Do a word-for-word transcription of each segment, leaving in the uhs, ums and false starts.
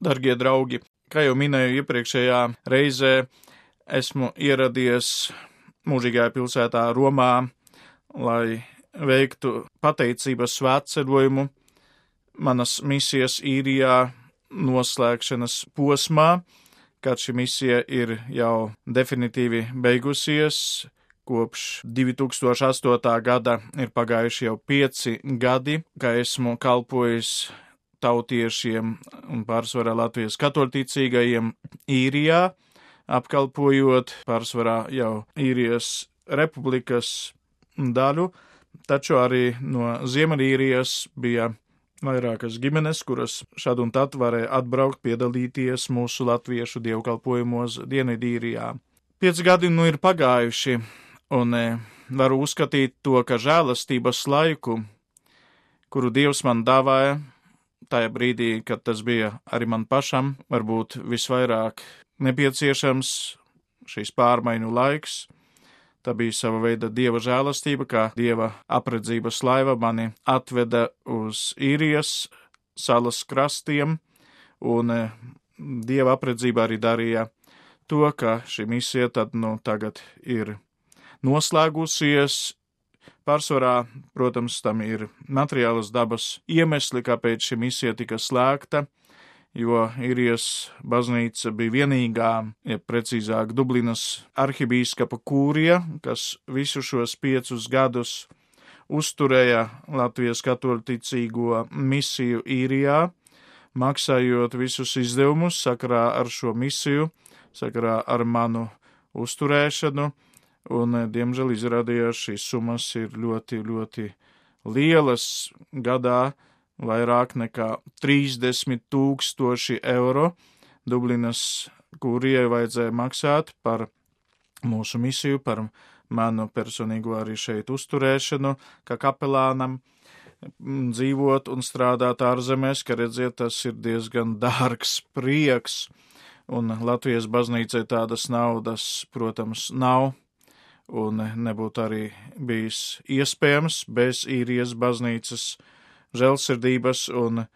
Dargie draugi, kā jau minēju iepriekšējā reizē, esmu ieradies mūžīgajā pilsētā Romā, lai veiktu pateicības svētceļojumu manas misijas Īrijā noslēgšanas posmā, kad šī misija ir jau definitīvi beigusies. Kopš divi tūkstoši astotā gada ir pagājuši jau pieci gadi, ka esmu kalpojis tautiešiem un pārsvarā Latvijas katoļticīgajiem Īrijā, apkalpojot pārsvarā jau Īrijas republikas daļu, taču arī no Ziemeļīrijas bija vairākas ģimenes, kuras šad un tad varēja atbraukt piedalīties mūsu latviešu dievkalpojumos Dienvidīrijā. Pieci gadi nu ir pagājuši, un varu uzskatīt to, ka žēlastības laiku, kuru Dievs man dāvāja, tajā brīdī, kad tas bija arī man pašam, varbūt visvairāk nepieciešams šīs pārmaiņu laiks. Tā bija sava veida Dieva žēlastība, kā Dieva apredzības laiva mani atveda uz Īrijas salas krastiem, un Dieva apredzība arī darīja to, ka šī misija tad nu tagad ir noslēgusies. Pārsvarā, protams, tam ir materiālas dabas iemesli, kāpēc šī misija tika slēgta, jo Īrijas baznīca bija vienīgā, ja precīzāk Dublinas arhibīskapa kūrija, kas visu šos piecus gadus uzturēja Latvijas katoļticīgo misiju Īrijā, maksājot visus izdevumus sakarā ar šo misiju, sakarā ar manu uzturēšanu, un, diemžēl, izrādījās šīs summas ir ļoti, ļoti lielas gadā, vairāk nekā trīsdesmit tūkstoši eiro Dublinas kūrijai vajadzēja maksāt par mūsu misiju, par manu personīgo arī šeit uzturēšanu, kā kapelānam, dzīvot un strādāt ārzemēs, ka redziet, tas ir diezgan dārgs prieks, un Latvijas baznīcai tādas naudas, protams, nav, un nebūtu arī bijis iespējams bez Īrijas baznīcas žēlsirdības un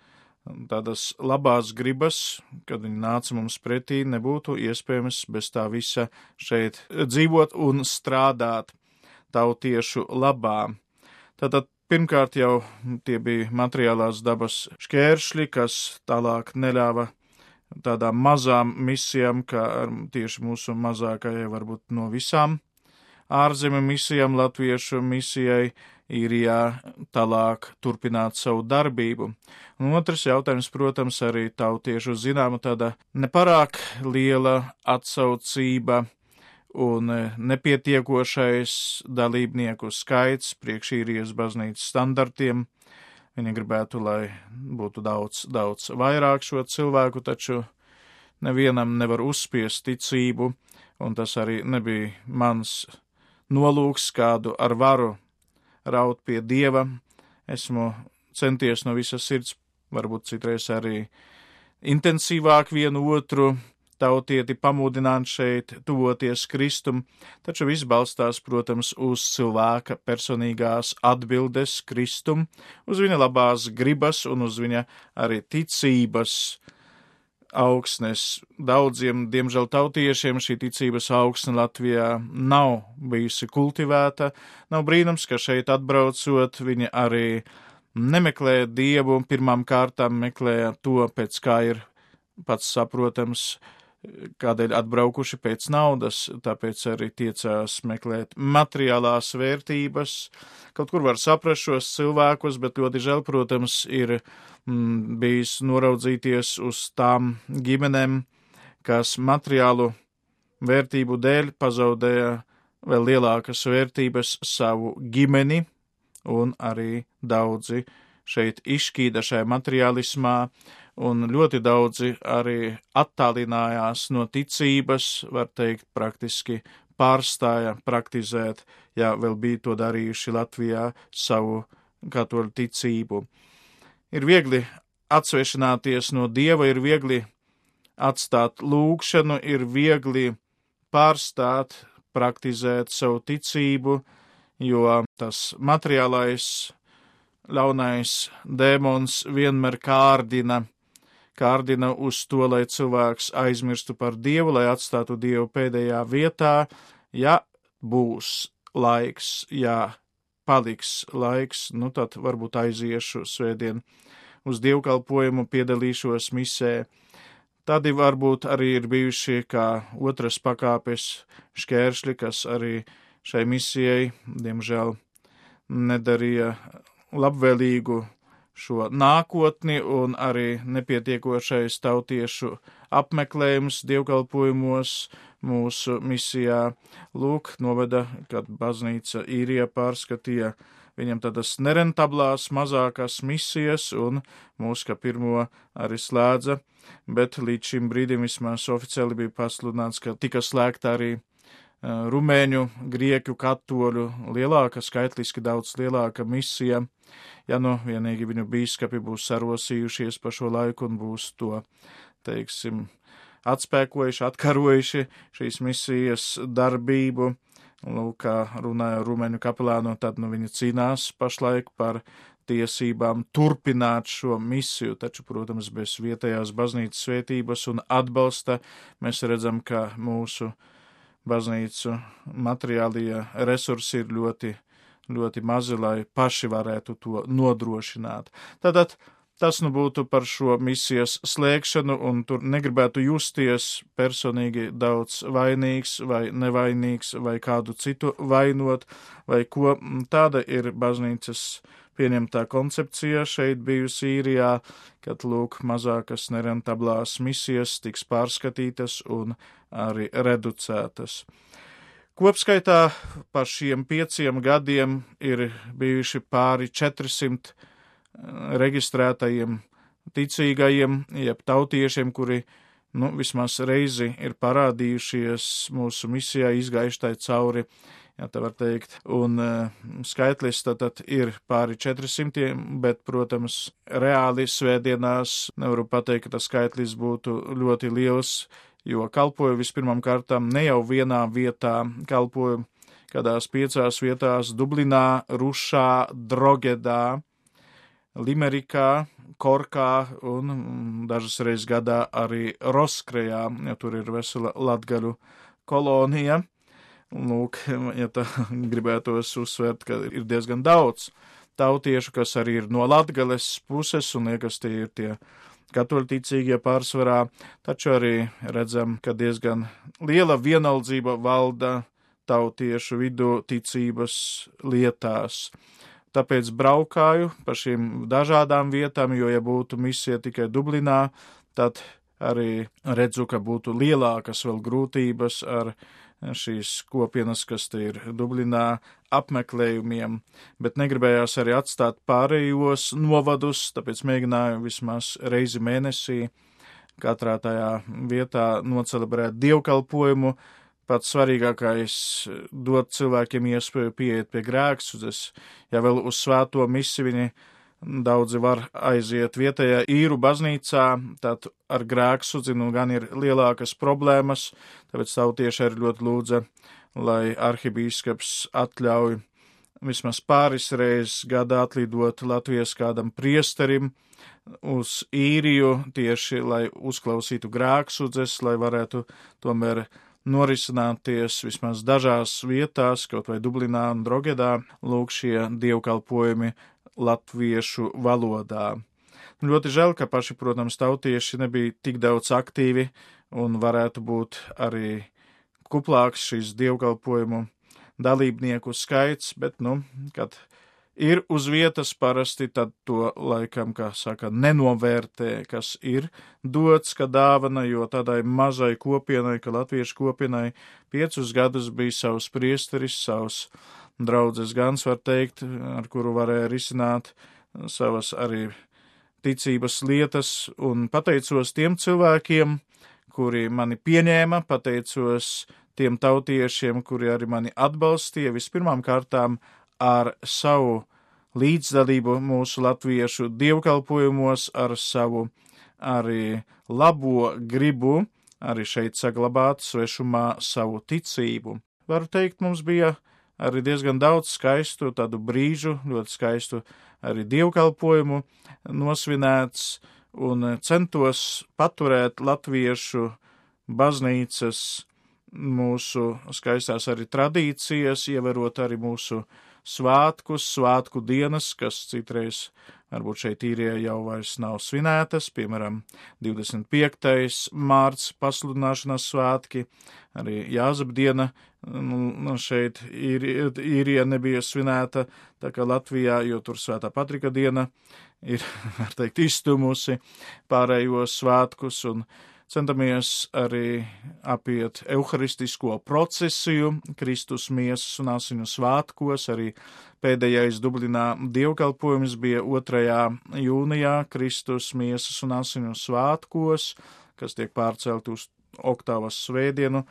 tādas labās gribas, kad viņi nāca mums pretī, nebūtu iespējams bez tā visa šeit dzīvot un strādāt tautiešu labā. Tātad pirmkārt jau tie bija materiālās dabas šķēršļi, kas tālāk neļāva tādām mazām misijām, kā tieši mūsu mazākajai varbūt no visām ārzemju misijām, latviešu misijai Īrijā tālāk turpināt savu darbību. Un otrs jautājums, protams, arī tautiešu zināma tāda neparāk liela atsaucība un nepietiekošais dalībnieku skaits priekš Īrijas baznīcas standartiem. Viņi gribētu, lai būtu daudz, daudz vairāk šo cilvēku, taču nevienam nevar uzspiest ticību, un tas arī nebija mans nolūks, kādu ar varu raut pie Dieva. Esmu centies no visas sirds, varbūt citreiz arī intensīvāk vienu otru tautieti pamudināt šeit, tuvoties Kristum, taču viss balstās, protams, uz cilvēka personīgās atbildes Kristum, uz viņa labās gribas un uz viņa arī ticības augsnes. Daudziem, diemžēl, tautiešiem šī ticības augsne Latvijā nav bijusi kultivēta. Nav brīnums, ka šeit atbraucot, viņi arī nemeklē Dievu, pirmām kārtām meklē to, pēc kā ir pats saprotams, kādēļ atbraukuši pēc naudas, tāpēc arī tiecās meklēt materiālās vērtības. Kaut kur var saprast šos cilvēkus, bet ļoti žēl, protams, ir mm, bijis noraudzīties uz tām ģimenēm, kas materiālu vērtību dēļ pazaudēja vēl lielākas vērtības savu ģimeni, un arī daudzi šeit izšķīda šajā materiālismā, un ļoti daudzi arī attālinājās no ticības, var teikt, praktiski pārstāja praktizēt, ja vēl bija to darījuši Latvijā, savu katoļu ticību. Ir viegli atsvešināties no Dieva, ir viegli atstāt lūgšanu, ir viegli pārstāt praktizēt savu ticību, jo tas materiālais ļaunais dēmons vienmēr kārdina, kārdina uz to, lai cilvēks aizmirstu par Dievu, lai atstātu Dievu pēdējā vietā, ja būs laiks, ja paliks laiks, nu tad varbūt aiziešu svētdien uz dievkalpojumu, piedalīšos misē. Tādi varbūt arī ir bijuši kā otras pakāpes šķēršļi, kas arī šai misijai, diemžēl, nedarīja labvēlīgu šo nākotni un arī nepietiekošais tautiešu apmeklējums dievkalpojumos mūsu misijā. Lūk, noveda, kad baznīca Īrijā pārskatīja viņam tādas nerentablās mazākās misijas un mūs kā pirmo arī slēdza, bet līdz šim brīdim vismaz oficiāli bija pasludināts, ka tika slēgta arī rumēņu, grieķu, katoļu lielāka, skaitliski daudz lielāka misija, ja nu vienīgi viņu bīskapi būs sarosījušies pa šo laiku un būs to, teiksim, atspēkojuši, atkarojuši šīs misijas darbību. Lūk, kā runāja rumēņu kapelānu, tad nu viņi cīnās pašlaik par tiesībām turpināt šo misiju, taču, protams, bez vietējās baznīcas svētības un atbalsta mēs redzam, ka mūsu baznīcu materiālie resursi ir ļoti, ļoti mazi, lai paši varētu to nodrošināt. Tātad tas nu būtu par šo misijas slēgšanu, un tur negribētu justies personīgi daudz vainīgs vai nevainīgs vai kādu citu vainot, vai ko. Tāda ir baznīcas pieņemtā koncepcija šeit bijusi Īrijā, kad lūk mazākas nerentablās misijas tiks pārskatītas un arī reducētas. Kopskaitā par šiem pieciem gadiem ir bijuši pāri četrsimt reģistrētajiem ticīgajiem, jeb tautiešiem, kuri, nu, vismaz reizi ir parādījušies mūsu misijā, izgājuši tai cauri, ja tā var teikt, un uh, skaitlis tad ir pāri četrisimtiem, bet, protams, reāli svētdienās nevaru pateikt, ka tas skaitlis būtu ļoti liels, jo kalpoju vispirmām kārtām ne jau vienā vietā, kalpoju kādās piecās vietās Dublinā, Rušā, Drogedā, Limerikā, Korkā un dažas reizes gadā arī Roskrejā, ja tur ir vesela latgaļu kolonija. Lūk, ja tā gribētos uzsvērt, ka ir diezgan daudz tautiešu, kas arī ir no Latgales puses, un liekas, tie ir tie katoļticīgie pārsvarā, taču arī redzam, ka diezgan liela vienaldzība valda tautiešu vidū ticības lietās. Tāpēc braukāju pa šīm dažādām vietām, jo, ja būtu misija tikai Dublinā, tad arī redzu, ka būtu lielākas vēl grūtības ar šīs kopienas, kas te ir Dublinā, apmeklējumiem, bet negribējās arī atstāt pārējos novadus, tāpēc mēģināju vismaz reizi mēnesī katrā tajā vietā nocelebrēt dievkalpojumu. Pats svarīgākais dot cilvēkiem iespēju pieiet pie grēksūdzes, ja vēl uz svēto misi viņi daudzi var aiziet vietējā īru baznīcā, tad ar grēksūdzi nu gan ir lielākas problēmas, tāpēc tautieši arī ļoti lūdza, lai arhibīskaps atļauj vismaz pāris reizes gadā atlidot Latvijas kādam priesterim uz Īriju, tieši lai uzklausītu grēksūdzes, lai varētu tomēr norisināties vismaz dažās vietās, kaut vai Dublinā un Drogedā, lūk šie dievkalpojumi latviešu valodā. Ļoti žēl, ka paši, protams, tautieši nebija tik daudz aktīvi un varētu būt arī kuplāks šīs dievkalpojumu dalībnieku skaits, bet, nu, kad ir uz vietas parasti, tad to laikam, kā saka, nenovērtē, kas ir dots, kā dāvana, jo tādai mazai kopienai, ka latviešu kopienai piecus gadus bija savs priesteris, savs draudzes gans, var teikt, ar kuru varēja risināt savas arī ticības lietas, un pateicos tiem cilvēkiem, kuri mani pieņēma, pateicos tiem tautiešiem, kuri arī mani atbalstīja, vispirmām kārtām ar savu līdzdalību mūsu latviešu dievkalpojumos, ar savu arī labo gribu, arī šeit saglabāt svešumā savu ticību. Varu teikt, mums bija arī diezgan daudz skaistu tādu brīžu, ļoti skaistu arī dievkalpojumu nosvinēts, un centos paturēt latviešu baznīcas mūsu skaistās arī tradīcijas, ievērot arī mūsu svātkus, svātku dienas, kas citreiz varbūt šeit īrijā jau vairs nav svinētas, piemēram, divdesmit piektais mārts pasludināšanas svētki, arī Jāzepdiena nu, šeit īrijā nebija svinēta, tā kā Latvijā, jo tur Svētā Patrika diena ir, var teikt, izstumusi pārējos svētkus, un centamies arī apiet euharistisko procesiju, Kristus miesas un asiņu svētkos, arī pēdējais Dublinā dievkalpojums bija otrajā jūnijā Kristus miesas un asiņu svētkos, kas tiek pārcelt uz oktāvas svētdienu.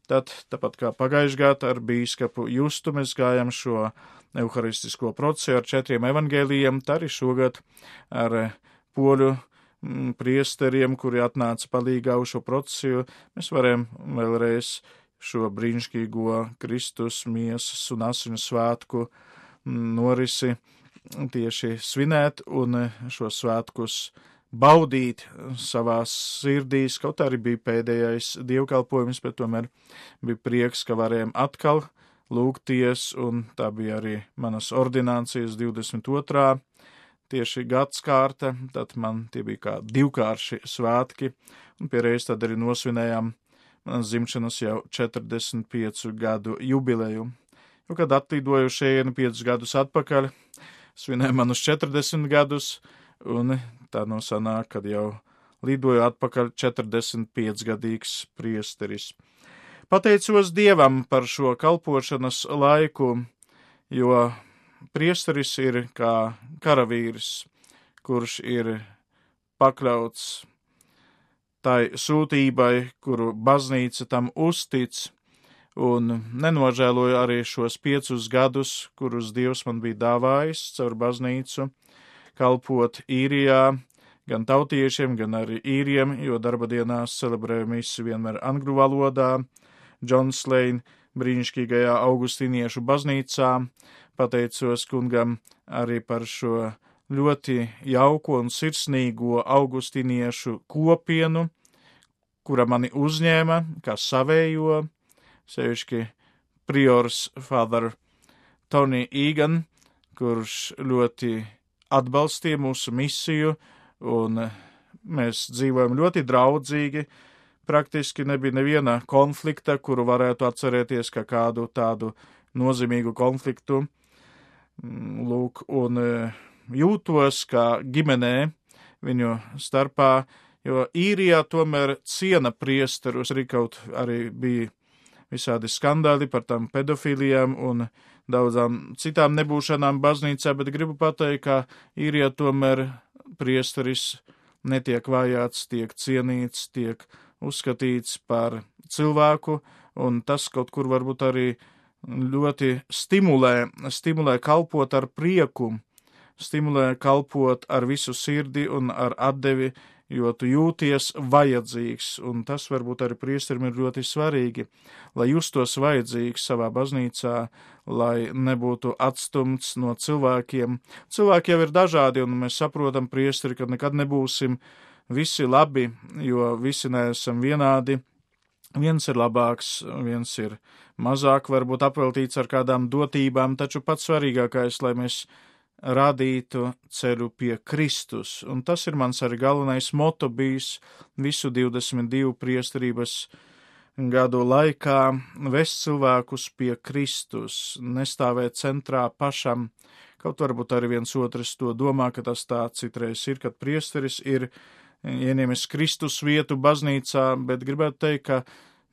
Tad, tāpat kā pagājušajā gadā ar bīskapu Justu, mēs gājam šo euharistisko procesu ar četriem evangēlijiem, tā arī šogad ar poļu priesteriem, kuri atnāca palīgā uz šo procesu, mēs varam vēlreiz šo brīnišķīgo Kristus miesas un asiņu svētku norisi tieši svinēt un šo svētkus baudīt savās sirdīs, kaut arī bija pēdējais dievkalpojums, bet tomēr bija prieks, ka varējām atkal lūgties, un tā bija arī manas ordinācijas divdesmit otrā tieši gadskārta, tad man tie bija kā divkārši svētki, un pierreiz tad arī nosvinējām manas dzimšanas jau četrdesmit piecu gadu jubileju. Jo, kad atlīdoju šejienu piecus gadus atpakaļ, svinēju manus četrdesmit gadus, un tā no sanāk, kad jau lidoju atpakaļ četrdesmit piecgadīgs priesteris. Pateicos Dievam par šo kalpošanas laiku, jo priesteris ir kā karavīrs, kurš ir pakļauts tai sūtībai, kuru baznīca tam uztic, un nenožēloju arī šos piecus gadus, kurus Dievs man bija dāvājis caur baznīcu, kalpot īrijā, gan tautiešiem, gan arī īriem, jo darba dienās celebrēju misi vienmēr angļu valodā, Johns Lane brīnišķīgajā augustīniešu baznīcā. Pateicos kungam arī par šo ļoti jauko un sirsnīgo augustīniešu kopienu, kura mani uzņēma kā savējo, sevišķi priors Father Tony Egan, kurš ļoti atbalstīja mūsu misiju, un mēs dzīvojam ļoti draudzīgi. Praktiski nebija neviena konflikta, kuru varētu atcerēties kā kādu tādu nozīmīgu konfliktu. Lūk, un jūtos kā ģimenē viņu starpā, jo īrijā tomēr ciena priesterus, arī kaut arī bija visādi skandāli par tām pedofilijām un daudzām citām nebūšanām baznīcā, bet gribu pateikt, ka īrijā tomēr priesteris netiek vajāts, tiek cienīts, tiek uzskatīts par cilvēku, un tas kaut kur varbūt arī ļoti stimulē, stimulē kalpot ar prieku, stimulē kalpot ar visu sirdi un ar atdevi, jo tu jūties vajadzīgs, un tas varbūt arī priesterim ir ļoti svarīgi, lai justos vajadzīgs savā baznīcā, lai nebūtu atstumts no cilvēkiem. Cilvēki jau ir dažādi, un mēs saprotam priesteri, ka nekad nebūsim visi labi, jo visi neesam vienādi. Viens ir labāks, viens ir mazāk, varbūt apveltīts ar kādām dotībām, taču pats svarīgākais, lai mēs rādītu ceļu pie Kristus, un tas ir mans arī galvenais moto bijis visu divdesmit divu priesterības gadu laikā - vest cilvēkus pie Kristus, nestāvēt centrā pašam, kaut varbūt arī viens otrs to domā, ka tas tā citreiz ir, kad priesteris ir ieņemis Kristus vietu baznīcā, bet gribētu teikt, ka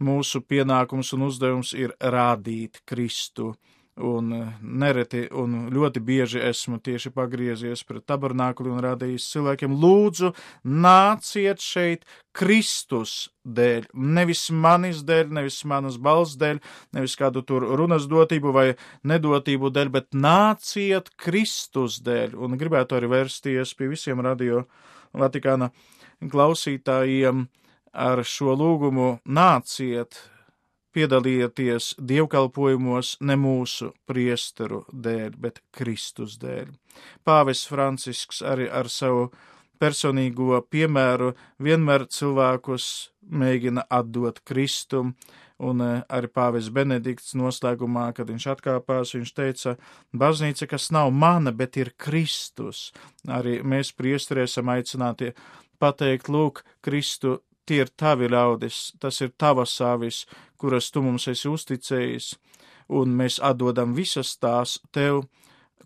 mūsu pienākums un uzdevums ir rādīt Kristu. Un nereti un ļoti bieži esmu tieši pagriezies pret tabernākuli un rādījis cilvēkiem: lūdzu, nāciet šeit Kristus dēļ, nevis manis dēļ, nevis manas balss dēļ, nevis kādu tur runas dotību vai nedotību dēļ, bet nāciet Kristus dēļ. Un gribētu arī vērsties pie visiem Radio Vatikāna klausītājiem ar šo lūgumu: nāciet, piedalieties dievkalpojumos ne mūsu priesteru dēļ, bet Kristus dēļ. Pāvests Francisks arī ar savu personīgo piemēru vienmēr cilvēkus mēģina atdot Kristum, un arī pāvests Benedikts noslēgumā, kad viņš atkāpās, viņš teica, baznīca, kas nav mana, bet ir Kristus. Arī mēs priesteri esam aicināti pateikt, lūk, Kristu, tie ir tavi ļaudis, tas ir tavas avis, kuras tu mums esi uzticējis, un mēs atdodam visas tās tev,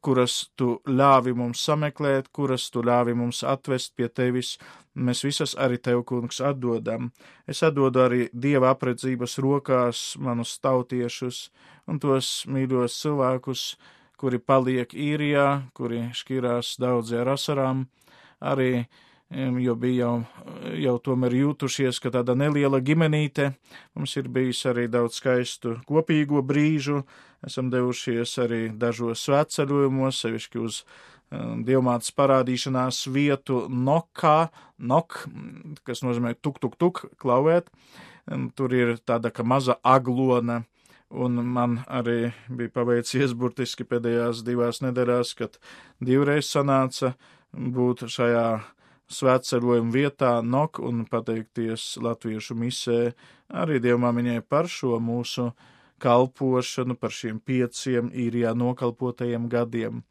kuras tu ļāvi mums sameklēt, kuras tu ļāvi mums atvest pie tevis, mēs visas arī tev, kungs, atdodam. Es atdodu arī Dieva apredzības rokās manus tautiešus un tos mīļos cilvēkus, kuri paliek īrijā, kuri šķirās daudzi ar asarām, arī jo bija jau, jau tomēr jūtušies, ka tāda neliela ģimenīte, mums ir bijis arī daudz skaistu kopīgo brīžu, esam devušies arī dažos svētceļojumos, sevišķi uz um, Dievmātes parādīšanās vietu Nokā, Nok, kas nozīmē tuk, tuk, tuk, klauvēt, un tur ir tāda, ka maza aglona, un man arī bija paveicies burtiski pēdējās divās nedēļās, kad divreiz sanāca būt šajā svētceļojuma vietā Nok un pateikties latviešu misē arī Dievmāmiņai par šo mūsu kalpošanu, par šiem pieciem īrijā nokalpotajiem gadiem.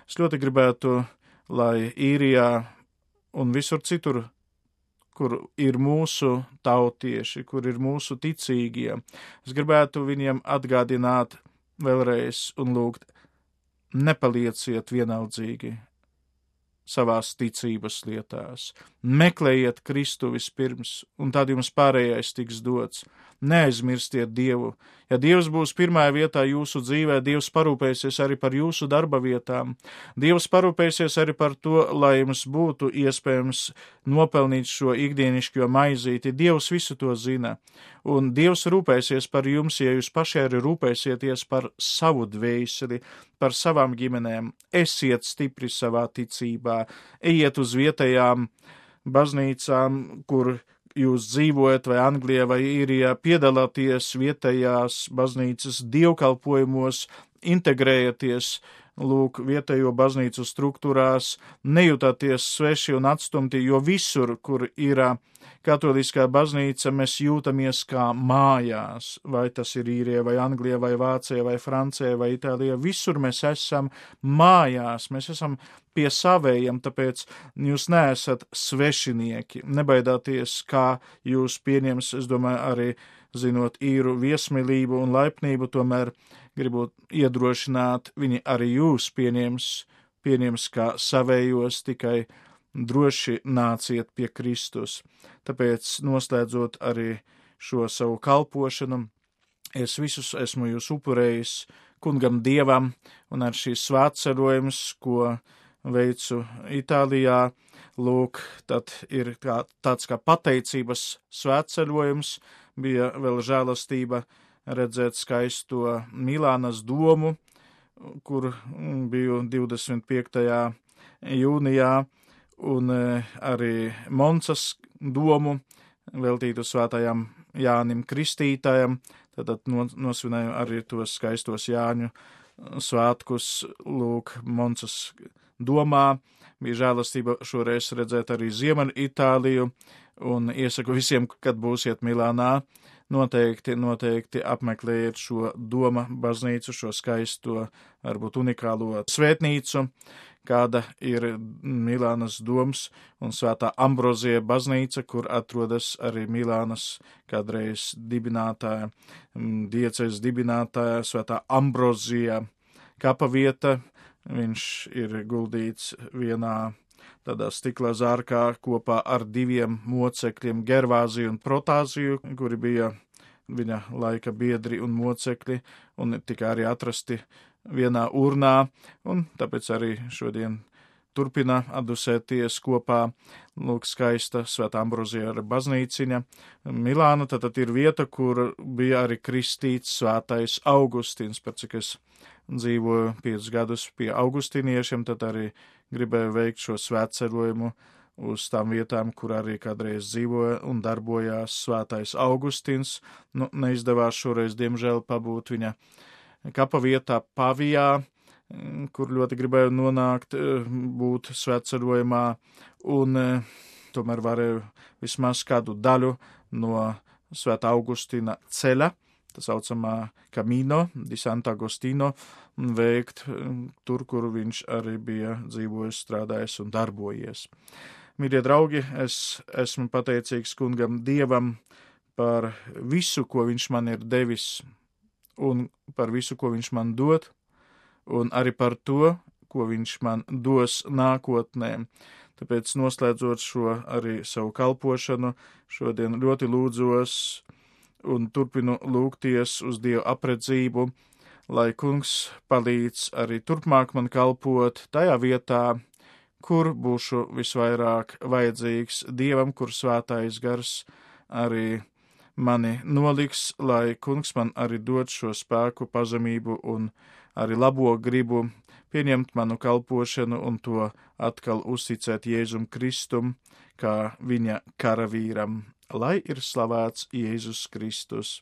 Es ļoti gribētu, lai īrijā un visur citur, kur ir mūsu tautieši, kur ir mūsu ticīgie, es gribētu viņiem atgādināt vēlreiz un lūgt, nepalieciet vienaldzīgi savās ticības lietās. Meklējiet Kristu vispirms, un tad jums pārējais tiks dots. Neaizmirstiet Dievu. Ja Dievs būs pirmajā vietā jūsu dzīvē, Dievs parūpēsies arī par jūsu darba vietām. Dievs parūpēsies arī par to, lai jums būtu iespējams nopelnīt šo ikdienišķo maizīti. Dievs visu to zina. Un Dievs rūpēsies par jums, ja jūs paši arī rūpēsieties par savu dvēseli, par savām ģimenēm. Esiet stipri savā ticībā, ejiet uz vietējām baznīcām, kur jūs dzīvojat, vai Anglijā, vai Īrijā, piedalāties vietējās baznīcas dievkalpojumos, integrējaties, lūk, vietējo baznīcu struktūrās, nejūtāties sveši un atstumti, jo visur, kur ir katoliskā baznīca, mēs jūtamies kā mājās, vai tas ir Īrijā, vai Anglijā, vai Vācijā, vai Francijā, vai Itālijā, visur mēs esam mājās, mēs esam pie savējiem, tāpēc jūs neesat svešinieki, nebaidāties, kā jūs pieņems, es domāju, arī zinot īru viesmīlību un laipnību, tomēr gribu iedrošināt, viņi arī jūs pieņems, pieņems kā savējos, tikai droši nāciet pie Kristus. Tāpēc, noslēdzot arī šo savu kalpošanu, es visus esmu jūs upurējis kungam Dievam, un ar šīs svētceļojums, ko veicu Itālijā, lūk, tad ir kā, tāds kā pateicības svētceļojums, bija vēl žēlastība redzēt skaisto Milānas domu, kur biju divdesmit piektajā jūnijā, un arī Moncas domu veltītu svētajam Jānim Kristītājam, tad nosvinēju arī tos skaistos Jāņu svētkus, lūk, Moncas domā, bija žēlastība šoreiz redzēt arī Ziemeļu Itāliju, un iesaku visiem, kad būsiet Milānā, noteikti, noteikti apmeklējiet šo doma baznīcu, šo skaisto, varbūt unikālo svētnīcu, kāda ir Milānas doms un svētā Ambrozija baznīca, kur atrodas arī Milānas kādreiz dibinātāja, diecēs dibinātāja, svētā Ambrozija kapa vieta. Viņš ir guldīts vienā tādā stikla zārkā kopā ar diviem mocekļiem, Gervāziju un Protāziju, kuri bija viņa laika biedri un mocekļi, un tika arī atrasti vienā urnā, un tāpēc arī šodien turpina atdusēties kopā, lūk, skaista Svētā Ambrozija baznīciņa. Milāna tad ir vieta, kur bija arī kristīts svētais Augustīns, par cik es dzīvoju piecus gadus pie augustīniešiem, tad arī gribēju veikt šo svētceļojumu uz tām vietām, kur arī kādreiz dzīvoja un darbojās svētais Augustīns. Nu, neizdevās šoreiz, diemžēl, pabūt viņa kapa vietā Pavijā, kur ļoti gribēju nonākt, būt svētceļojumā, un tomēr varēju vismaz kādu daļu no Svētā Augustīna ceļa, tā saucamā Camino di Sant'Agostino, veikt tur, kur viņš arī bija dzīvojis, strādājis un darbojies. Mīļie draugi, es esmu pateicīgs kungam Dievam par visu, ko viņš man ir devis, un par visu, ko viņš man dod, un arī par to, ko viņš man dos nākotnē. Tāpēc noslēdzot šo arī savu kalpošanu, šodien ļoti lūdzos un turpinu lūgties uz Dievu apredzību, lai kungs palīdz arī turpmāk man kalpot tajā vietā, kur būšu visvairāk vajadzīgs Dievam, kur svētais gars arī mani noliks, lai kungs man arī dod šo spēku, pazemību un arī labo gribu pieņemt manu kalpošanu un to atkal uzticēt Jēzum Kristum, kā viņa karavīram, lai ir slavēts Jēzus Kristus.